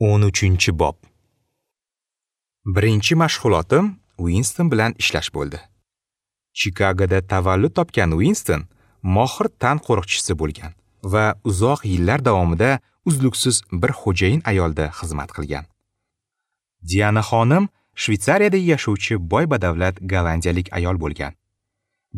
13-bob. Birinchi mashg'ulotim Uinston bilan ishlash bo'ldi. Chikagoda tavallud topgan Uinston mohir tan qo'riqchisi bo'lgan va uzoq yillar davomida uzluksiz bir xo'jayin ayolda xizmat qilgan. Diana xonim Shvetsariyada yashovchi boy badavlat gollandiyalik ayol bo'lgan.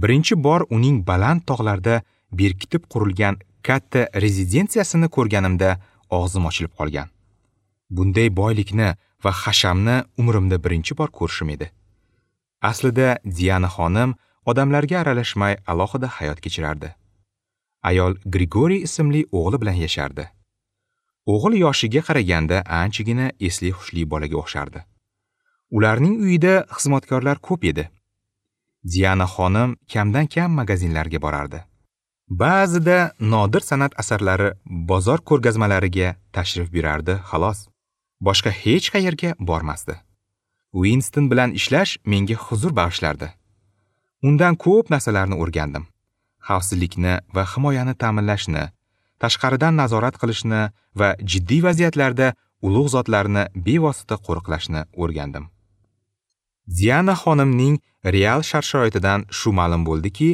Birinchi bor uning baland tog'larda berkitib qurilgan katta rezidensiyasini ko'rganimda og'zim ochilib qolgan. Bunday boylikni va hashamni umrimda birinchi bor ko'rishim edi. Aslida Diana xonim odamlarga aralashmay alohida hayot kechirardi. Ayol Grigoriy ismli o'g'li bilan yashardi. O'g'il yoshiga qaraganda anchagina esli hushli bolaga o'xshardi. Ularning uyida xizmatkorlar ko'p edi. Diana xonim kamdan-kam magazinlarga borardi. Ba'zida nodir san'at asarlari bozor ko'rgazmalariga tashrif buyurardi, xolos. Boshqa hech qayerga bormasdi. Uinston bilan ishlash menga huzur bag'ishlardi. Undan ko'p narsalarni o'rgandim. Xavfsizlikni va himoyani ta'minlashni, tashqaridan nazorat qilishni va jiddiy vaziyatlarda ulug' zotlarni bevosita qo'riqlashni o'rgandim. Diana xonimning real shart-sharoitidan shu ma'lum bo'ldiki,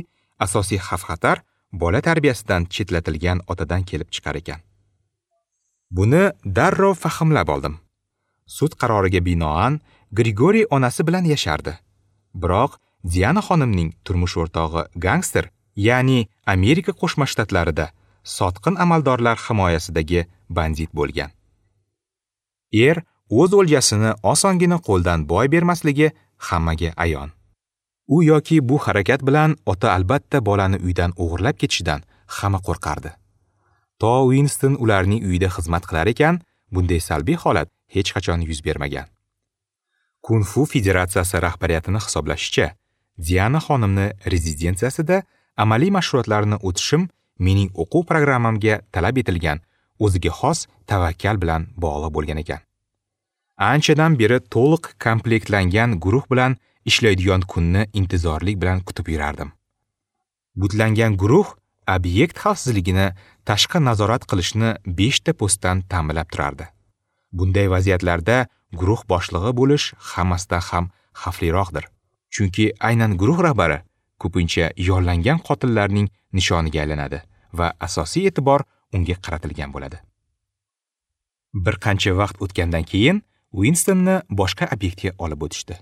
asosiy xavf-xatar bola tarbiyasidan chetlatilgan otadan kelib chiqar ekan. Buni darrov fahmlab oldim. Sud qaroriga binoan Grigoriy onasi bilan yashardi. Biroq Diana xonimning turmush o'rtog'i gangster, ya'ni Amerika Qo'shma Shtatlarida sotqin amaldorlar himoyasidagi bandit bo'lgan. Er o'z o'ljasini osongina qo'ldan boy bermasligi hammaga ayon. U yoki bu harakat bilan ota albatta bolani uydan o'g'irlab ketishidan hamma qo'rqardi. To Uinston ularning uyida xizmat qilar ekan, bunday salbiy holat hech qachon yuz bermagan. Kung Fu Federatsiyasi rahbariyatini hisoblashicha, Diana xonimni rezidensiyasida amaliy mashg'ulotlarni o'tishim mening o'quv programmamga talab etilgan o'ziga xos tavakkal bilan bog'liq bo'lgan ekan. Anchadan beri to'liq komplektlangan guruh bilan ishlaydigan kunni intizorlik bilan kutib yurardim. Butlangan guruh obyekt xavfsizligini tashqi nazorat qilishni 5 ta postdan ta'minlab turardi. Bunday vaziyatlarda guruh boshlig'i bo'lish hammasidan ham xavfliroqdir. Chunki aynan guruh rahbari ko'pincha yollangan qotillarning nishoniga aylanadi va asosiy e'tibor unga qaratilgan bo'ladi. Bir qancha vaqt o'tgandan keyin Uinstonni boshqa obyektga olib o'tishdi.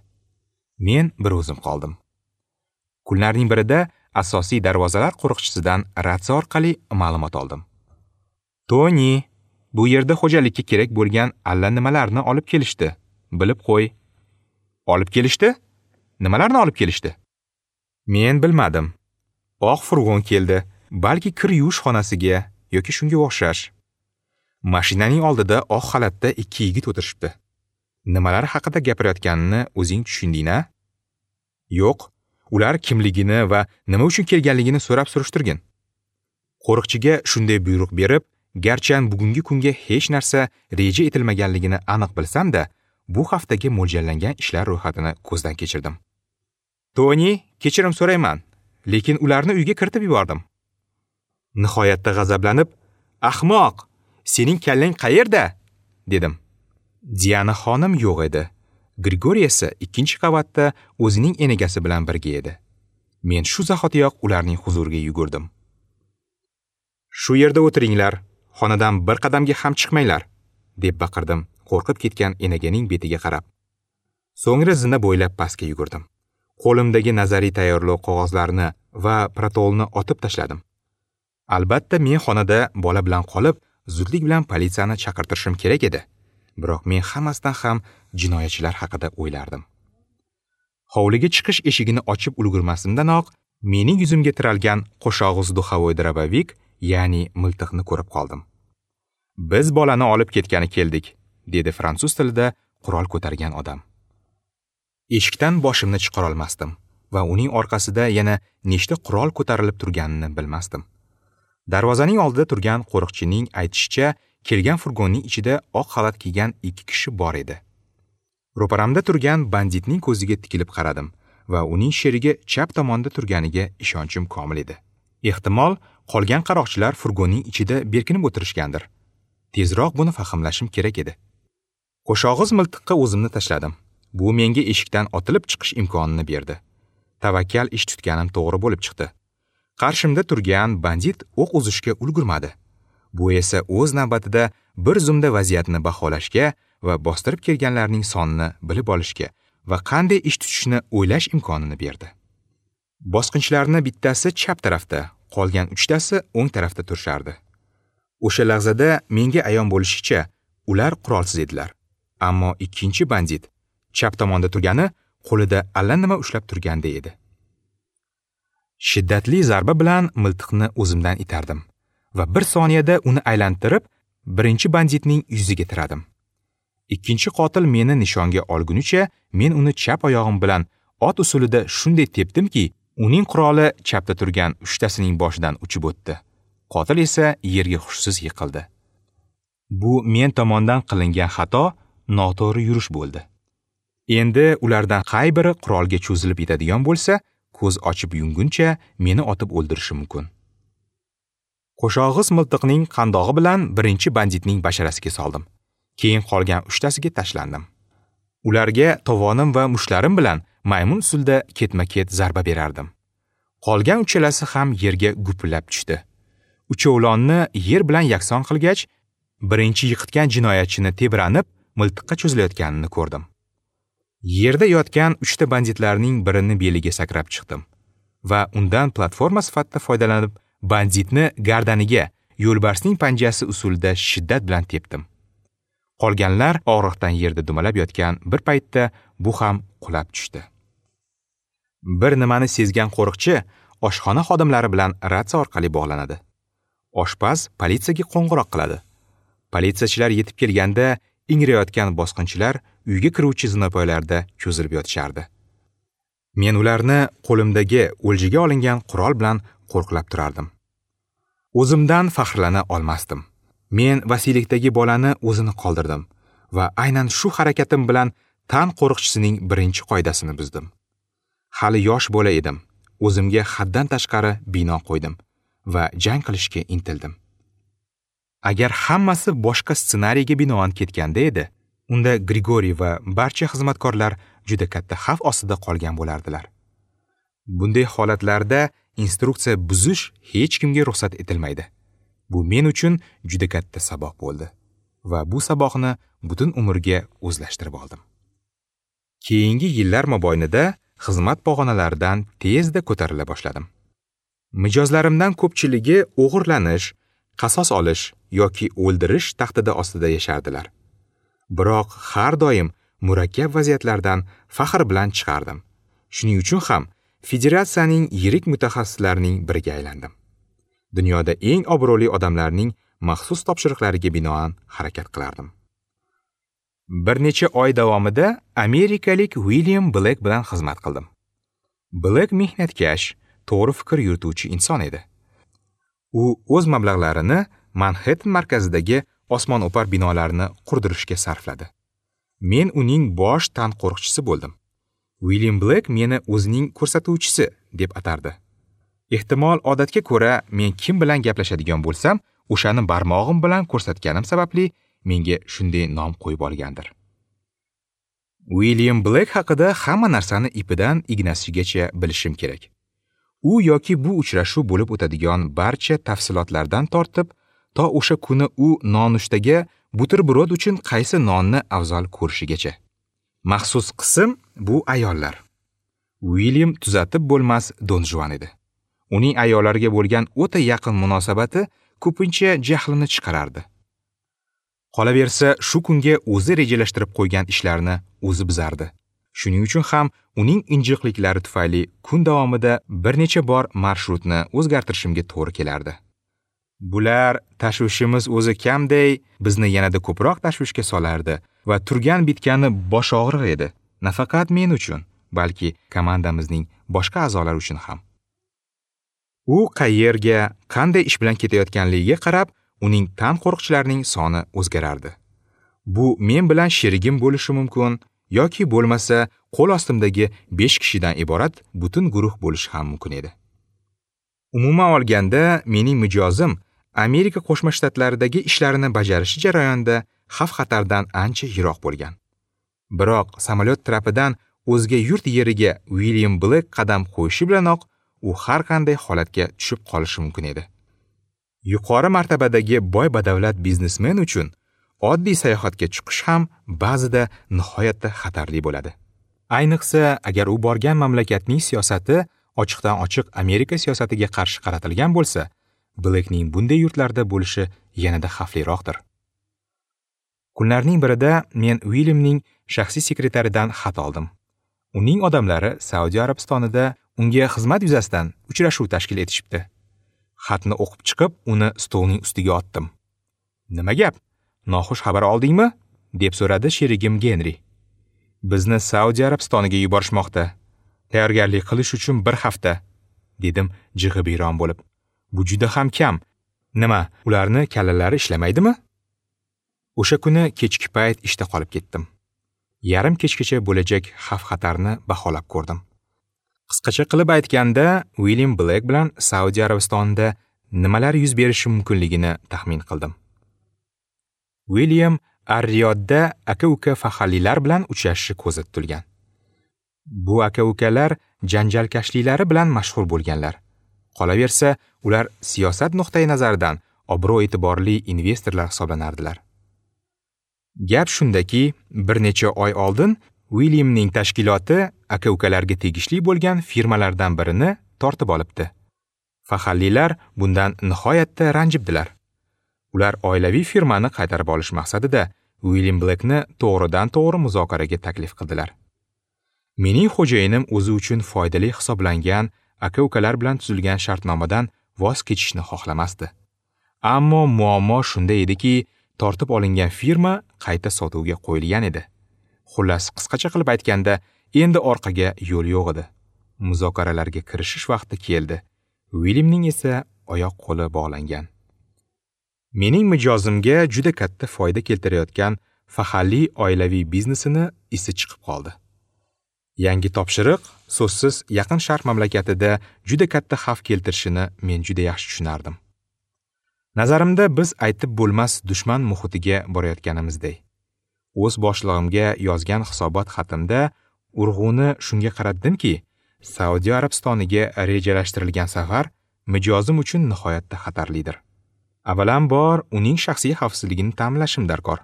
Men bir o'zim qoldim. Kunlarning birida asosiy darvozalar qo'riqchisidan ratsiya orqali ma'lumot oldim. Toni, bu yerda xo'jalikka kerak bo'lgan allanimalarni olib kelishdi. Bilib qo'y. Olib kelishdi? Nimalarni olib kelishdi? Men bilmadim. Oq furgon keldi, balki kir yuvish xonasiga yoki shunga o'xshash. Mashinaning oldida oq xalatda 2 yigit o'tirishibdi. Nimalar haqida gapirayotganini o'zing tushunding-a? Yo'q, ular kimligini va nima uchun kelganligini so'rab surishtirgin. Qo'riqchiga shunday buyruq berib, garchi bugungi kunga hech narsa reja etilmaganligini aniq bilsam-da, bu haftaga mo'ljallangan ishlar ro'yxatini ko'zdan kechirdim. Toni, kechirim so'rayman, lekin ularni uyga kiritib yubordim. Nihoyatda g'azablanib, "Ahmoq, sening kallang qayerda?" dedim. Diana xonim yo'q edi. Grigoriy esa 2-qavatda o'zining enagasi bilan birga edi. Men shu zahotiyoq ularning huzuriga yugurdim. "Shu yerda o'tiringlar, xonadan bir qadamga ham chiqmanglar", deb baqirdim, qo'rqib ketgan enaganing betiga qarab. So'ngra zina bo'ylab pastga yugurdim. Qo'limdagi nazariy tayyorlov qog'ozlarini va protolni otib tashladim. Albatta men xonada bola bilan qolib, zudlik bilan politsiyani chaqirtirishim kerak edi. Biroq men hammasidan ham jinoyatchilar haqida o'ylardim. Hovliga chiqish eshigini ochib ulgurmasimdanoq mening yuzimga tiralgan qo'shog'iz duxovoy drabovik, ya'ni miltiqni ko'rib qoldim. "Biz bolani olib ketgani keldik", dedi fransuz tilida qurol ko'targan odam. Eshikdan boshimni chiqara olmasdim va uning orqasida yana nechta qurol ko'tarilib turganini bilmasdim. Darvozaning oldida turgan qo'riqchining aytishicha, kelgan furgonning ichida oq xalat kiygan 2 kishi bor edi. Ro'paramda turgan banditning ko'ziga tikilib qaradim va uning sherigi chap tomonda turganiga ishonchim komil edi. Ehtimol, qolgan qaroqchilar furgonning ichida berkinib o'tirishgandir. Tezroq buni fahmlashim kerak edi. Qo'shog'iz miltiqqa o'zimni tashladim. Bu menga eshikdan otilib chiqish imkonini berdi. Tavakkal ish tutganim to'g'ri bo'lib chiqdi. Qarshimda turgan bandit o'q uzishga ulgurmadi. Bu esa o'z navbatida bir zumda vaziyatni baholashga va bostirib kelganlarning sonini bilib olishga va qanday ish tutishni o'ylash imkonini berdi. Bosqinchilarning bittasi chap tarafda, qolgan uchtasi o'ng tarafda turishardi. O'sha lahzada menga ayon bo'lishicha, ular qurolsiz edilar. Ammo ikkinchi bandit chap tomonda turgani qo'lida allanima ushlab turganday edi. Shiddatli zarba bilan miltiqni o'zimdan itardim va bir soniyada uni aylantirib, birinchi banditning yuziga tiradim. Ikkinchi qotil meni nishonga olgunicha men uni chap oyog'im bilan ot usulida shunday tepdimki, uning quroli chapda turgan uchtasining boshidan uchib o'tdi. Qotil esa yerga hushsiz yiqildi. Bu men tomondan qilingan xato, noto'g'ri yurish bo'ldi. Endi ulardan qay biri qurolga cho'zilib yetadigan bo'lsa, ko'z ochib yumguncha meni otib o'ldirishi mumkin. Qo'shog'iz miltiqning qandog'i bilan birinchi banditning basharasiga soldim. Keyin qolgan uchtasiga tashlandim. Ularga tovonim va mushtlarim bilan maymun usulda ketma-ket zarba berardim. Qolgan uchalasi ham yerga gupillab tushdi. Uchovlonni yer bilan yakson qilgach, birinchi yiqitgan jinoyatchini tebranib, miltiqqa cho'zilayotganini ko'rdim. Yerda yotgan uchta banditlarning birini beliga sakrab chiqdim va undan platforma sifatida foydalanib, banditni gardaniga yo'lbarsning panjasi usulida shiddat bilan tepdim. Qolganlar og'riqdan yerda dumalab yotgan bir paytda bu ham qulab tushdi. Bir nimani sezgan qo'riqchi oshxona xodimlari bilan ratsiya orqali bog'lanadi. Oshpaz politsiyaga qo'ng'iroq qiladi. Politsiyachilar yetib kelganda ingrayotgan bosqinchilar uyga kiruvchi zinapoyalarda cho'zilib yotishardi. Men ularni qo'limdagi o'ljaga olingan qurol bilan qo'rqlab turardim. O'zimdan faxrlana olmasdim. Men vasiylikdagi bolani o'zini qoldirdim va aynan shu harakatim bilan tan qo'riqchisining birinchi qoidasini buzdim. Hali yosh bola edim. O'zimga haddan tashqari bino qo'ydim va jang qilishga intildim. Agar hammasi boshqa ssenariyga binoan ketganda edi, unda Grigoriy va barcha xizmatkorlar juda katta xavf ostida qolgan bo'lardilar. Bunday holatlarda instruksiya buzish hech kimga ruxsat etilmaydi. Bu men uchun juda katta saboq bo'ldi va bu saboqni butun umrga o'zlashtirib oldim. Keyingi yillar mobaynida xizmat pog'onalaridan tezda ko'tarila boshladim. Mijozlarimdan ko'pchiligi o'g'irlanish, qasos olish yoki o'ldirish tahdidi ostida yashardilar. Biroq har doim murakkab vaziyatlardan faxr bilan chiqardim. Shuning uchun ham federatsiyaning yirik mutaxassislarining biriga aylandim. Dunyoda eng obro'li odamlarning maxsus topshiriqlariga binoan harakat qilardim. Bir necha oy davomida amerikalik William Black bilan xizmat qildim. Black mehnatkash, to'g'ri fikr yurituvchi inson edi. U o'z mablag'larini Manhattan markazidagi osmono'par binolarni qurdirishga sarfladi. Men uning bosh tan qo'riqchisi bo'ldim. William Black meni o'zining ko'rsatuvchisi deb atardi. Ehtimol odatga ko'ra men kim bilan gaplashadigan bo'lsam, o'shani barmog'im bilan ko'rsatganim sababli menga shunday nom qo'yib olgandir. William Black haqida hamma narsani ipidan ignasigacha bilishim kerak. U yoki bu uchrashuv bo'lib o'tadigan barcha tafsilotlardan tortib, to o'sha kuni u nonushtaga buterbrod uchun qaysi nonni afzal ko'rishigacha. Maxsus qism bu ayollar. William tuzatib bo'lmas Don Juan edi. Uning ayollarga bo'lgan o'ta yaqin munosabati ko'pincha jahlini chiqarardi. Qolaversa, shu kunga o'zi rejalashtirib qo'ygan ishlarni o'zi buzardi. Shuning uchun ham uning injiqliklari tufayli kun davomida bir necha bor marshrutni o'zgartirishimga to'g'ri kelardi. Bular tashvishimiz o'zi kamday bizni yanada ko'proq tashvishga solardi va turgan bitgani bosh og'riq edi. Nafaqat men uchun, balki komandamizning boshqa a'zolari uchun ham. U qayerga, qanday ish bilan ketayotganligiga qarab, uning tan qo'riqchilarining soni o'zgarardi. Bu men bilan sherigim bo'lishi mumkin yoki bo'lmasa qo'l ostimdagi 5 kishidan iborat butun guruh bo'lishi ham mumkin edi. Umuman olganda, mening mijozim Amerika Qo'shma Shtatlaridagi ishlarini bajarish jarayonida xavf-xatardan ancha yiroq bo'lgan. Biroq samolyot trapidan o'zga yurt yeriga William Blek qadam qo'yishi bilanoq u har qanday holatga tushib qolishi mumkin edi. Yuqori martabadagi boy badavlat biznesmen uchun oddiy sayohatga chiqish ham ba'zida nihoyatda xatarli bo'ladi. Ayniqsa, agar u borgan mamlakatning siyosati ochiqdan-ochiq Amerika siyosatiga qarshi qaratilgan bo'lsa, Blekning bunday yurtlarda bo'lishi yanada xavfliroqdir. Kunlarning birida men Williamning shaxsiy sekretaridan xat oldim. Uning odamlari Saudiya Arabistonida unga xizmat yuzasidan uchrashuv tashkil etishibdi. Xatni o'qib chiqib, uni stolning ustiga otdim. "Nima gap? Noxush xabar oldingmi?" deb so'radi sherigim Genri. "Bizni Saudiya Arabistoniga yuborishmoqda. Tayyorgarlik qilish uchun bir hafta", dedim jig'ibiyron bo'lib. "Bu juda ham kam. Nima, ularni kallalari ishlamaydimi?" O'sha kuni kechki payt ishda qolib ketdim. Yarim kechgacha bo'lajak xavf-xatarni baholab ko'rdim. Qisqacha qilib aytganda, William Blek bilan Saudiya Arabistonida nimalar yuz berishi mumkinligini taxmin qildim. William Ar-Riyodda aka-uka faxrlilar bilan uchrashishi ko'zda tutilgan. Bu aka-ukalar janjalkashliklari bilan mashhur bo'lganlar. Qolaversa, ular siyosat nuqtai nazaridan obro'-e'tiborli investorlar hisoblanardilar. Gap shundaki, bir necha oy oldin Williamning tashkiloti aka-ukalarga tegishli bo'lgan firmalardan birini tortib olibdi. Faxrlilar bundan nihoyatda ranjibdilar. Ular oilaviy firmani qaytarib olish maqsadida William Blekni to'g'ridan-to'g'ri muzokaraga taklif qildilar. Mening xo'jayinim o'zi uchun foydali hisoblangan aka-ukalar bilan tuzilgan shartnomadan voz kechishni xohlamasdi. Ammo muammo shunda ediki, tortib olingan firma qayta sotuvga qo'yilgan edi. Xullas, qisqacha qilib aytganda, endi orqaga yo'l yo'q edi. Muzokaralarga kirishish vaqti keldi. Williamning esa oyoq qo'li bog'langan. Mening mijozimga juda katta foyda keltirayotgan faxrli oilaviy biznesini isi chiqib qoldi. Yangi topshiriq so'zsiz Yaqin Sharq mamlakatida juda katta xavf keltirishini men juda yaxshi tushunardim. Nazarimda biz aytib bo'lmas dushman muhitiga borayotganimizdek. O'z boshlig'imga yozgan hisobot xatimda urg'uni shunga qaratdimki, Saudiya Arabistoniga rejalashtirilgan safar mijozim uchun nihoyatda xatarlidir. Avvalambor, uning shaxsiy xavfsizligini ta'minlashim darkor.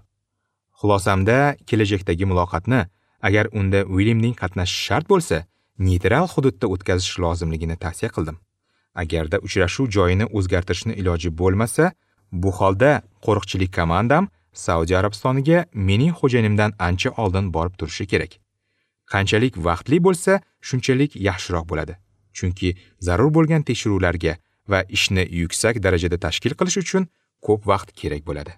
Xulosamda kelajakdagi muloqotni, agar unda Williamning qatnashishi shart bo'lsa, neytral hududda o'tkazish lozimligini tavsiya qildim. Agarda uchrashuv joyini o'zgartirishni iloji bo'lmasa, bu holda qo'riqchilik komandam Saudiya Arabistoniga mening xo'jayinimdan ancha oldin borib turishi kerak. Qanchalik vaqtli bo'lsa, shunchalik yaxshiroq bo'ladi. Chunki zarur bo'lgan tekshiruvlarga va ishni yuksak darajada tashkil qilish uchun ko'p vaqt kerak bo'ladi.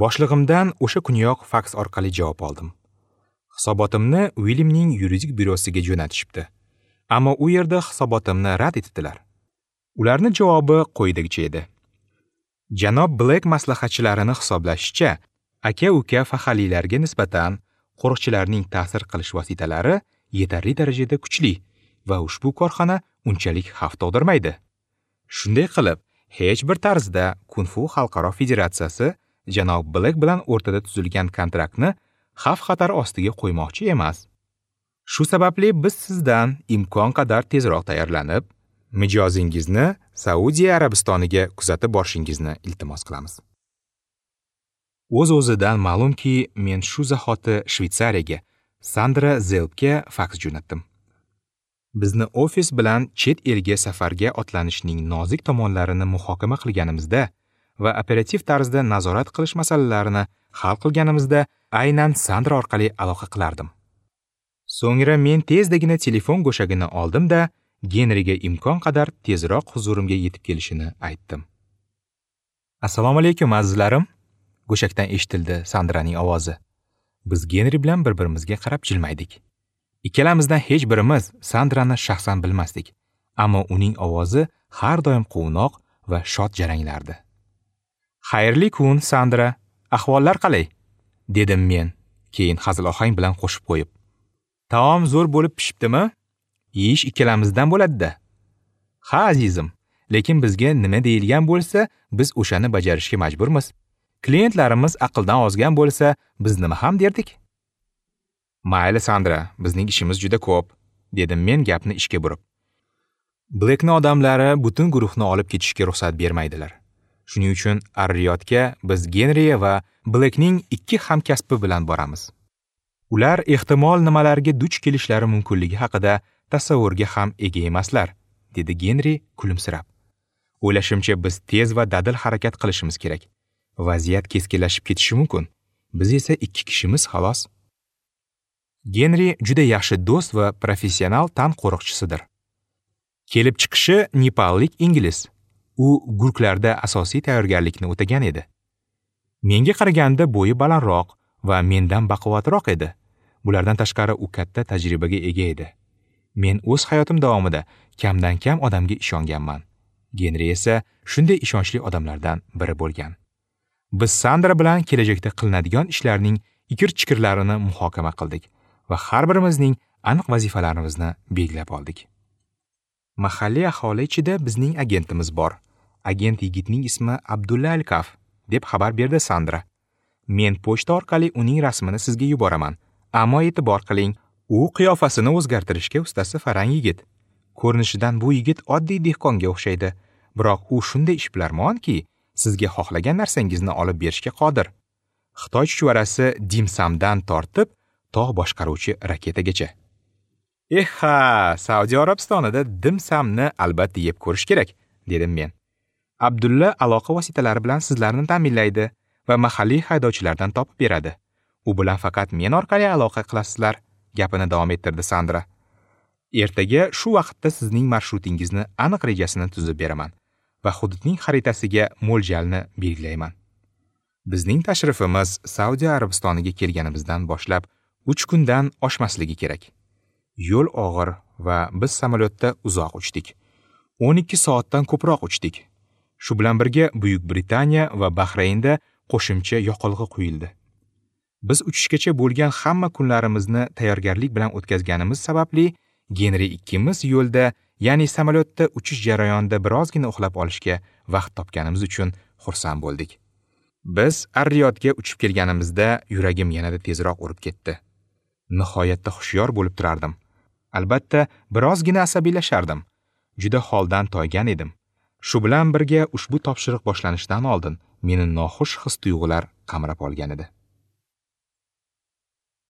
Boshlig'imdan o'sha kuniyoq faks orqali javob oldim. Hisobotimni Williamning yuridik byurosiga jo'natishibdi. Ammo u yerda hisobotimni rad etibdilar. Ularning javobi quyidagicha edi. Janob Blek maslahatchilarini hisoblashicha, aka-uka faxrlilarga nisbatan qo'riqchilarning ta'sir qilish vositalari yetarli darajada kuchli va ushbu korxona unchalik xavf tug'dirmaydi. Shunday qilib, hech bir tarzda Kung-fu Xalqaro Federatsiyasi janob Blek bilan o'rtada tuzilgan kontraktni xavf-xatar ostiga qo'ymoqchi emas. Shu sababli biz sizdan imkon qadar tezroq tayyorlanib, mijozingizni Saudiya Arabistoniga kuzatib borishingizni iltimos qilamiz. O'z-o'zidan ma'lumki, men shu zahoti Shvetsariyaga, Sandra Zelbga faks jo'natdim. Bizni ofis bilan chet elga safarga otlanishning nozik tomonlarini muhokama qilganimizda va operativ tarzda nazorat qilish masalalarini hal qilganimizda aynan Sandra orqali aloqa qilardim. So'ngra men tezdagina telefon go'shagini oldim-da, Genriga imkon qadar tezroq huzurimga yetib kelishini aytdim. "Assalomu alaykum azizlarim", go'shakdan eshitildi Sandraning ovozi. Biz Genri bilan bir-birimizga qarab jilmaydik. Ikkalamizdan hech birimiz Sandrani shaxsan bilmasdik, ammo uning ovozi har doim quvnoq va shod jaranglardi. "Xayrli kun, Sandra. Ahvollar qalay?" dedim men, keyin hazil ohang bilan qo'shib qo'yib. "Taom zo'r bo'lib pishibdimi? Yeyish ikkalamizdan bo'ladi-da." "Ha, azizim, lekin bizga nima deyilgan bo'lsa, biz o'shani bajarishga majburmiz. Klientlarimiz aqldan ozgan bo'lsa, biz nima ham derdik? Mayli Sandra, bizning ishimiz juda ko'p, dedim men gapni ishga burib. Blackni odamlari butun guruhni olib ketishga ruxsat bermaydilar. Shuning uchun Ar-Riyodga biz Genri va Blackning 2 hamkasbi bilan boramiz. Ular ehtimol nimalarga duch kelishlari mumkinligi haqida tasavvurga ham ega emaslar, dedi Genri kulimsirab. O'ylashimcha, biz tez va dadil harakat qilishimiz kerak. Vaziyat keskinlashib ketishi mumkin. Biz esa 2 kishimiz xolos. Genri juda yaxshi do'st va professional tan qo'riqchisidir. Kelib chiqishi nepallik ingliz. U gurklarda asosiy tayyorgarlikni o'tagan edi. Menga qaraganda bo'yi balandroq va mendan baquvvatroq edi. Bulardan tashqari u katta tajribaga ega edi. Men o'z hayotim davomida kamdan-kam odamga ishonganman. Genri esa shunday ishonchli odamlardan biri bo'lgan. Biz Sandra bilan kelajakda qilinadigan ishlarning ikir-chikirlarini muhokama qildik va har birimizning aniq vazifalarimizni belgilab oldik. Mahalliy aholi ichida bizning agentimiz bor. Agent yigitning ismi Abdulla Alkaf, deb xabar berdi Sandra. Men pochta orqali uning rasmini sizga yuboraman. Ammo e'tibor qiling, u qiyofasini o'zgartirishga ustasi farang yigit. Ko'rinishidan bu yigit oddiy dehqonga o'xshaydi, biroq u shunday ishbilarmonki, sizga xohlagan narsangizni olib berishga qodir. Xitoy chuchvarasi dimsamdan tortib tog' boshqaruvchi raketagacha. "Eha, Saudiya Arabistonida dimsamni albatta yeb ko'rish kerak", dedim men. Abdulla aloqa vositalari bilan sizlarni ta'minlaydi va mahalliy haydovchilardan topib beradi. U bilan faqat men orqali aloqa qilasizlar, gapini davom ettirdi Sandra. Ertaga shu vaqtda sizning marshrutingizni aniq rejasini tuzib beraman va hududning xaritasiga mo'ljalni belgilayman. Bizning tashrifimiz Saudiya Arabistoniga kelganimizdan boshlab 3 kundan oshmasligi kerak. Yo'l og'ir va biz samolyotda uzoq uchdik. 12 soatdan ko'proq uchdik. Shu bilan birga Buyuk Britaniya va Bahraynda qo'shimcha yoqilg'i quyildi. Biz uchishgacha bo'lgan hamma kunlarimizni tayyorgarlik bilan o'tkazganimiz sababli Genri ikkimiz yo'lda, ya'ni samolyotda uchish jarayonida birozgina uxlab olishga vaqt topganimiz uchun xursand bo'ldik. Biz Ar-Riyodga uchib kelganimizda yuragim yanada tezroq urib ketdi. Nihoyatda hushyor bo'lib turardim. Albatta, birozgina asabiylashardim. Juda holdan toygan edim. Shu bilan birga ushbu topshiriq boshlanishidan oldin meni noxush his-tuyg'ular qamrab olgan edi.